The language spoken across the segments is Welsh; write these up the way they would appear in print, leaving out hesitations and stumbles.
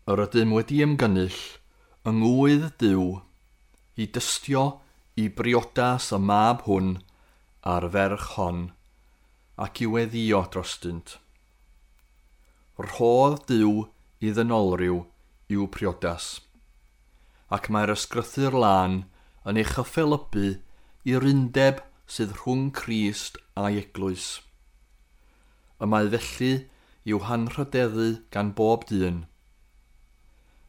Yr ydym wedi ymgynnull yng ngwydd Duw i dystio i briodas y mab hwn a'r ferch hon ac i weddïo drostynt. Rhodd Duw i ddynolryw i'w priodas, ac mae'r ysgrythur lân yn ei chyffelybu i'r undeb sydd rhwng Crist a'i eglwys. Y mae felly i'w hanrhydeddu gan bob dyn.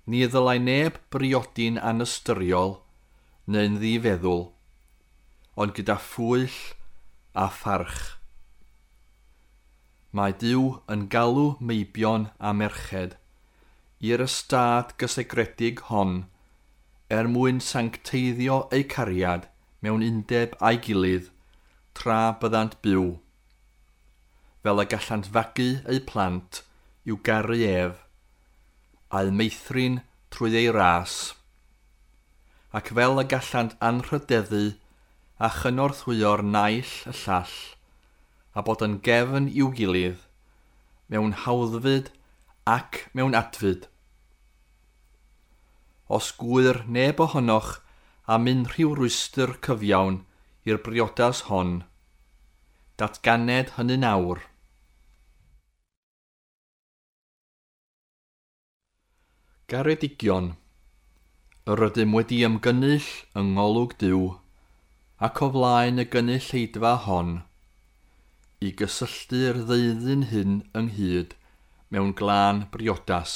Ni ddylai neb briodi'n anystyriol neu'n ddifeddwl, ond gyda phwyll a pharch. Mae Duw yn galw meibion a merched i'r ystâd gysegredig hon er mwyn sancteiddio eu cariad mewn undeb a'i gilydd tra byddant byw, fel y gallant fagu eu plant i'w garu ef, a'u meithrin trwy ei ras, ac fel y gallant anrhydeddu a chynorthwyo'r naill y llall, a bod yn gefn i'w gilydd, mewn hawddfyd ac mewn adfyd. Os gŵyr neb ohonoch am unrhyw rwystr cyfiawn i'r briodas hon, datganed hynny'n awr. Garedigion, yr ydym wedi ymgynnull yng ngolwg Duw ac o flaen y gynulleidfa hon i gysylltu'r ddeuddyn hyn ynghyd mewn glân briodas,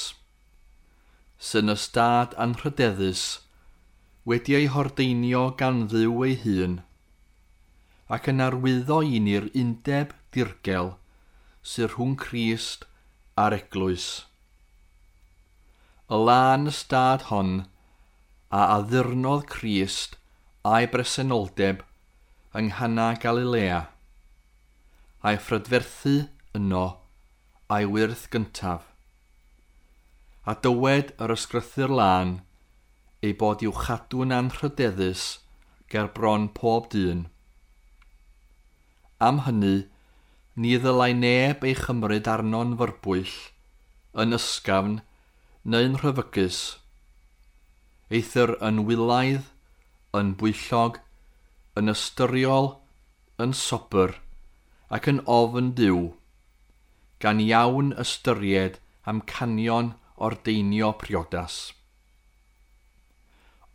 sy'n ystâd anrhydeddus wedi ei hordeinio gan Dduw ei hun, ac yn arwyddo i ni'r undeb dirgel sydd rhwng Crist a'r eglwys. Y lân ystâd hon a addurnodd Crist a'i bresenoldeb yng Nghana Galilea, a'i phrydferthu yno a'i wyrth gyntaf. A dywed yr ysgrythur lân ei bod i'w chadw'n anrhydeddus ger bron pob dyn. Am hynny, ni ddylai neb ei chymryd arno'n fyrbwyll, yn ysgafn neu'n rhyfygus, eithr yn wylaidd, yn bwyllog, yn ystyriol, yn sobr, ac yn ofn Duw, gan iawn ystyried amcanion ordeinio priodas.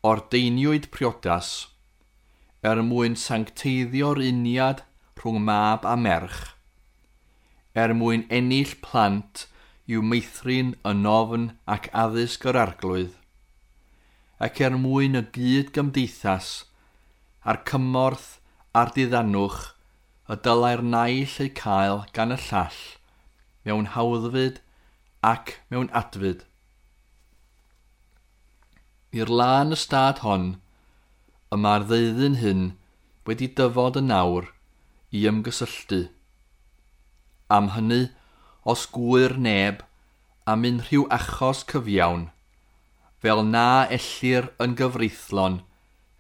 Ordeiniwyd priodas er mwyn sancteiddio'r uniad rhwng mab a merch, er mwyn ennill plant i'w meithrin yn ofn ac addysg yr Arglwydd, ac er mwyn y gyd gymdeithas a'r cymorth a'r diddanwch y dylai'r naill eu cael gan y llall mewn hawddfyd ac mewn adfyd. I'r lân ystâd hon, y mae'r ddeuddyn hyn wedi dyfod yn awr i ymgysylltu. Am hynny, os gŵyr neb am unrhyw achos cyfiawn, fel na ellir yn gyfreithlon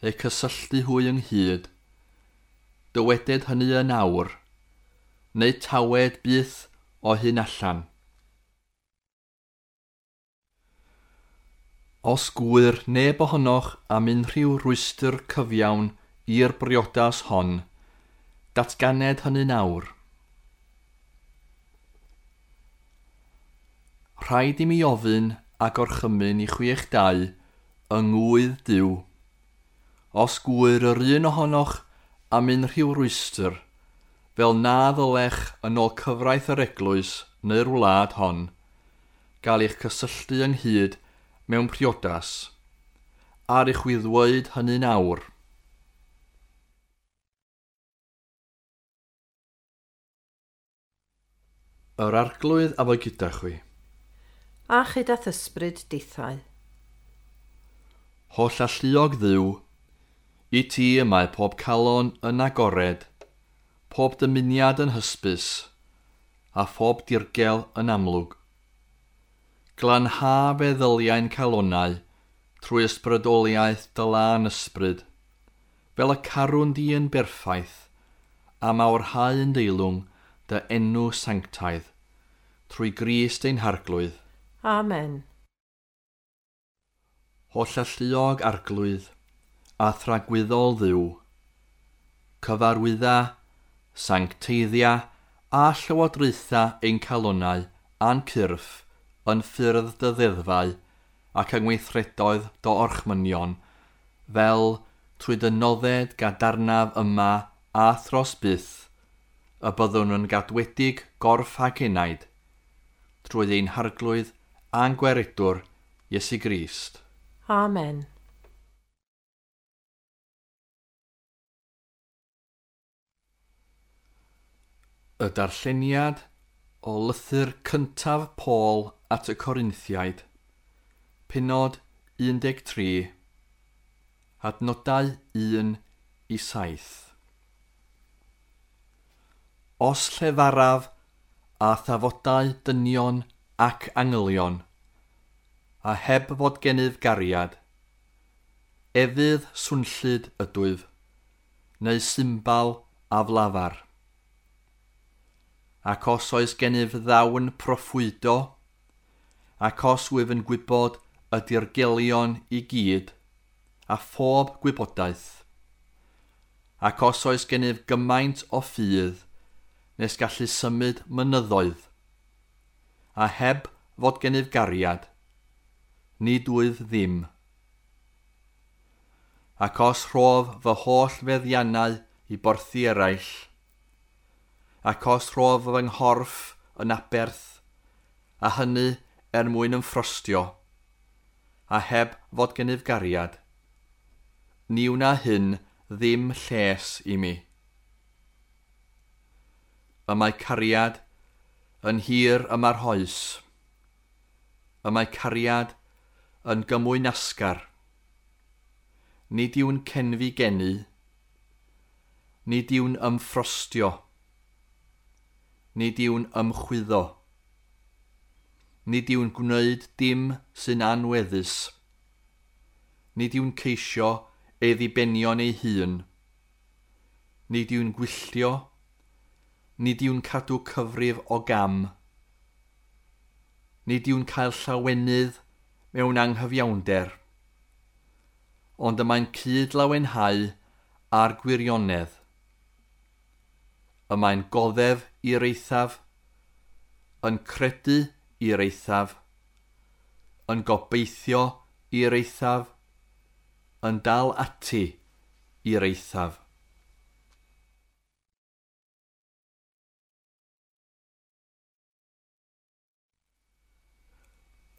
eu cysylltu hwy ynghyd, dyweded hynny yn awr, neu tawed byth o hyn allan. Os gŵyr neb ohonoch am unrhyw rwystr cyfiawn i'r briodas hon, datganed hynny'n awr. Rhaid i mi ofyn a gorchymyn i chwi eich dau yng ngwydd Duw. Os gŵyr yr un ohonoch am unrhyw rwystr, fel na ddylech yn ôl cyfraith yr eglwys neu'r wlad hon, gael eich cysylltu ynghyd mewn priodas, ar i chwi ddweud hynny'n awr. Yr Arglwydd a fo gyda chwi. A chyda ysbryd dithau. Holl alluog Dduw, i ti y mae pob calon yn agored, pob dymuniad yn hysbys, a phob dirgel yn amlwg. Glanha feddyliau'n calonnau trwy ysbrydoliaeth dy lân ysbryd, fel y carwn di yn berffaith, a mawrhau yn deilwng dy enw sanctaidd, trwy Grist ein Harglwydd. Amen. Hollalluog Arglwydd a thragwyddol Dduw, cyfarwydda, sancteiddia a llywodraetha ein calonnau a'n cyrff yn ffyrdd dy ddeddfau ac yng ngweithredoedd dy orchmynion, fel trwy dy nodded gadarnaf yma a thros byth, y byddwn yn gadwedig gorff ac enaid, trwy ein Harglwydd a'n Gwaredwr, Iesu Grist. Amen. Y darlleniad o lythyr cyntaf Paul at y Corinthiaid, pennod 13, adnodau 1 i 7. Os llefaraf a thafodau dynion ac angylion, a heb fod gennyf gariad, efydd swnllyd ydwyf, neu symbal aflafar. Ac os oes gennyf ddawn proffwydo, ac os wyf yn gwybod y dirgelion i gyd, a phob gwybodaeth, ac os oes gennyf gymaint o ffydd, nes gallu symud mynyddoedd, a heb fod gennyf gariad, nid wyf ddim. Ac os rhof fy holl feddiannau i borthi eraill, ac os rhof fy nghorff yn aberth, a hynny er mwyn ymffrostio, a heb fod gennyf gariad, ni wna hyn ddim lles i mi. Y mae cariad yn hir ymarhous. Y mae cariad yn gymwynasgar. Nid yw'n cenfigenu. Nid yw'n ymffrostio. Nid yw'n ymchwyddo. Nid yw'n gwneud dim sy'n anweddus. Nid yw'n ceisio ei ddibenion ei hun. Nid yw'n gwylltio. Nid yw'n cadw cyfrif o gam. Nid yw'n cael llawenydd mewn anghyfiawnder, ond y mae'n cyd-lawenhau â'r gwirionedd. Y mae'n goddef i'r eithaf, yn credu i'r eithaf, yn gobeithio i'r eithaf, yn dal ati i'r eithaf.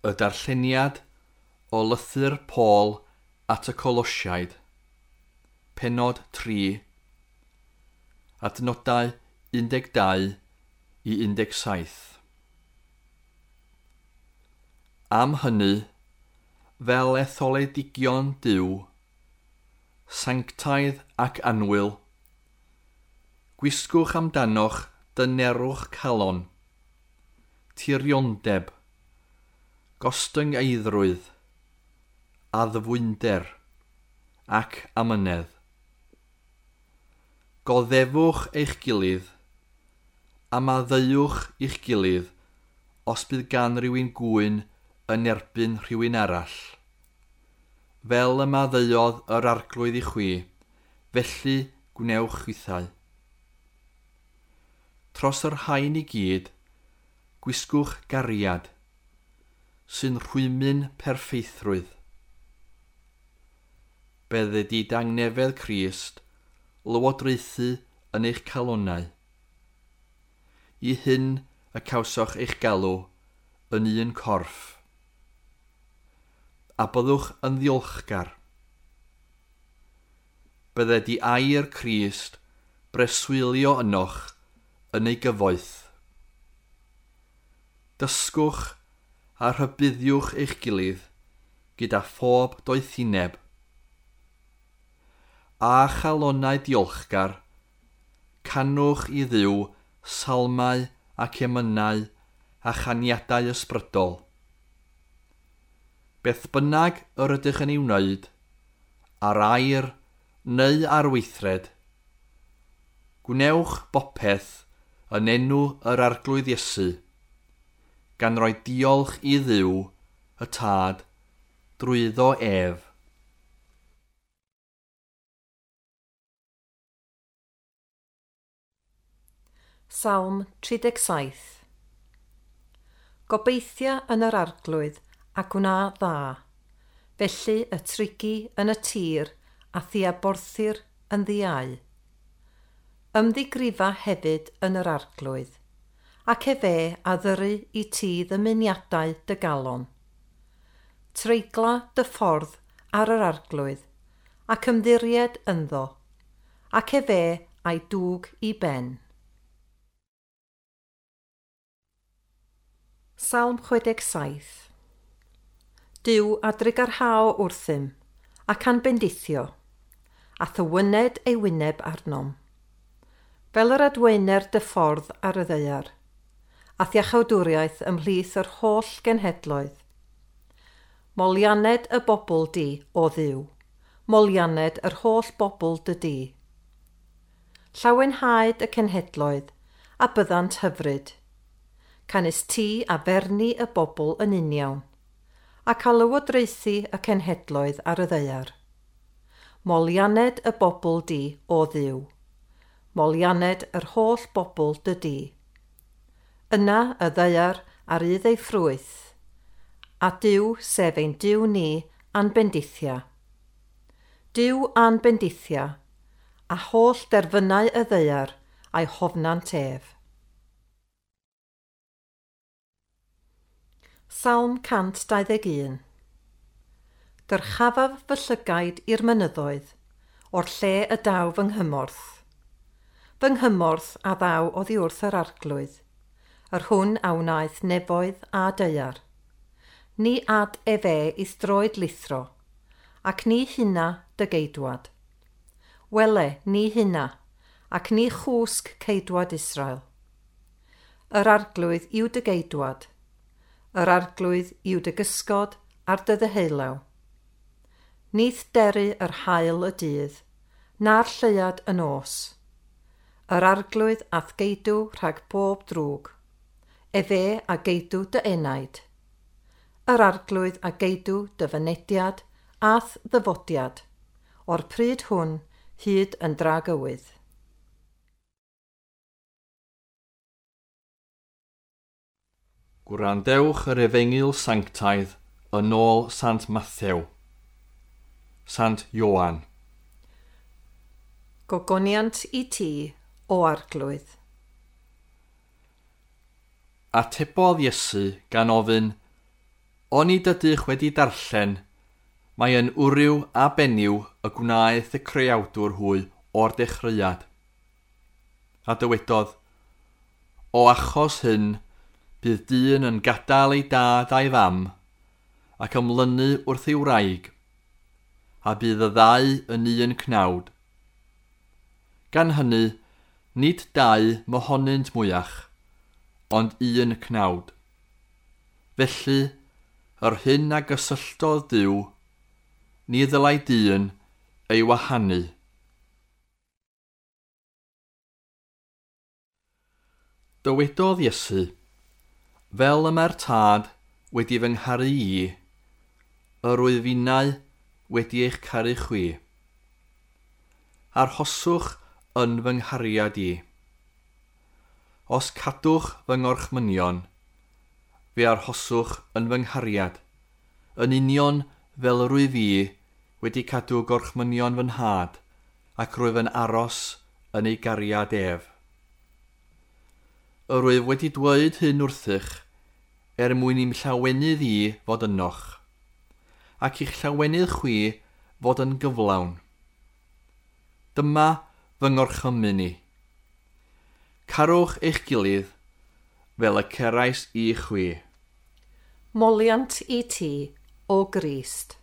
Y darlleniad o lythyr Paul at y Colosiaid, pennod 3, adnodau 12 i 17. Am hynny, fel etholedigion Duw, sanctaidd ac annwyl, gwisgwch amdanoch dynerwch calon, tiriondeb, gostyngeiddrwydd, addfwynder ac amynedd. Goddefwch eich gilydd, a maddeuwch i'ch gilydd os bydd gan rywun gŵyn yn erbyn rhywun arall. Fel y maddeuodd yr Arglwydd i chwi, felly gwnewch chwithau. Tros yr rhain i gyd, gwisgwch gariad, sy'n rhwymyn perffeithrwydd. Bydded i dangnefedd Crist lywodraethu yn eich calonnau. I hyn y cawsoch eich galw yn un corff. A byddwch yn ddiolchgar. Bydded i air Crist breswylio ynoch yn ei gyfoeth. Dysgwch a rhybuddiwch eich gilydd gyda phob doethineb. A chalonnau diolchgar, canwch i Dduw salmau ac emynau a chaniadau ysbrydol. Beth bynnag yr ydych yn ei wneud, ar air neu ar weithred, gwnewch bopeth yn enw yr Arglwydd Iesu, gan roi diolch i Dduw y Tad drwyddo ef. Salm 37. Gobeithia yn yr Arglwydd a gwna dda, felly y trigi yn y tir a thia borthir yn ddiau. Ymddigrifa hefyd yn yr Arglwydd, ac efe a ddyru i ti ddymuniadau dy galon. Treigla dy ffordd ar yr Arglwydd, ac ymddiried ynddo, ac efe a'i dwg i ben. Salm 67. Duw a drugarhao wrthym, ac a'n bendithio, a thywyned ei wyneb arnom. Fel yr adwaener dy ffordd ar y ddaear, a thiachawdwriaeth ymhlith yr holl genhedloedd. Molianed y bobl di, o Dduw, molianed yr holl bobl dy di. Llawenhaed y cenhedloedd, a byddant hyfryd. Canys ti a ferni y bobl yn uniawn, ac a lywodraethu y cenhedloedd ar y ddaear. Molianed y bobl di, o Dduw, molianed yr holl bobl dy di. Yna y ddaear ar rydd ei ffrwyth, a Duw sef ein Duw ni a'n bendithia. Duw a'n bendithia, a holl derfynau y ddaear a'i hofnant ef. Salm 121. Dyrchafaf fy llygaid i'r mynyddoedd, o'r lle y daw fy nghymorth. Fy nghymorth a ddaw oddi wrth yr Arglwydd, yr hwn a wnaeth nefoedd a daear. Ni ad efe i'th droed lithro, ac ni hynna dy geidwad. Wele, ni hynna, ac ni chwsg ceidwad Israel. Yr Arglwydd yw dy geidwad, yr Arglwydd yw dy gysgod ar dy ddeheulaw. Nith deru yr haul y dydd, na'r lleuad y nos. Yr Arglwydd a'th geidw rhag pob drwg. Efe a geidw dy enaid. Yr Arglwydd a geidw dy fynediad a'th ddyfodiad, o'r pryd hwn hyd yn dragywydd. Gwrandewch yr Efengyl Sanctaidd yn ôl Sant Mathew. Sant Ioan. Gogoniant i ti, o Arglwydd. Atebodd Iesu gan ofyn, "Onid ydych wedi darllen, mae yn wryw a benyw y gwnaeth y creawdwr hwy o'r dechreuad." A dywedodd, "O achos hyn, bydd dyn yn gadael ei dad a'i fam, ac ymlynu wrth ei wraig, a bydd y ddau yn un cnawd. Gan hynny, nid dau mohonynt mwyach, ond un cnawd. Felly, yr hyn a gysylltodd Duw, ni ddylai dyn ei wahanu." Dywedodd Iesu, "Fel y mae'r Tad wedi fy ngharu i, yr wyf innau wedi eich caru chwi. Arhoswch yn fy nghariad i. Os cadwch fy ngorchmynion, fe arhoswch yn fy nghariad, yn union fel yr wyf i wedi cadw gorchmynion fy nhad, ac rwyf yn aros yn ei gariad ef. Yr wyf wedi dweud hyn wrthych, er mwyn i'm llawenydd i fod ynoch, ac i'ch llawenydd chwi fod yn gyflawn. Dyma fy ngorchymyn i. Carwch eich gilydd fel y cerais i chwi." Moliant i ti, o Grist.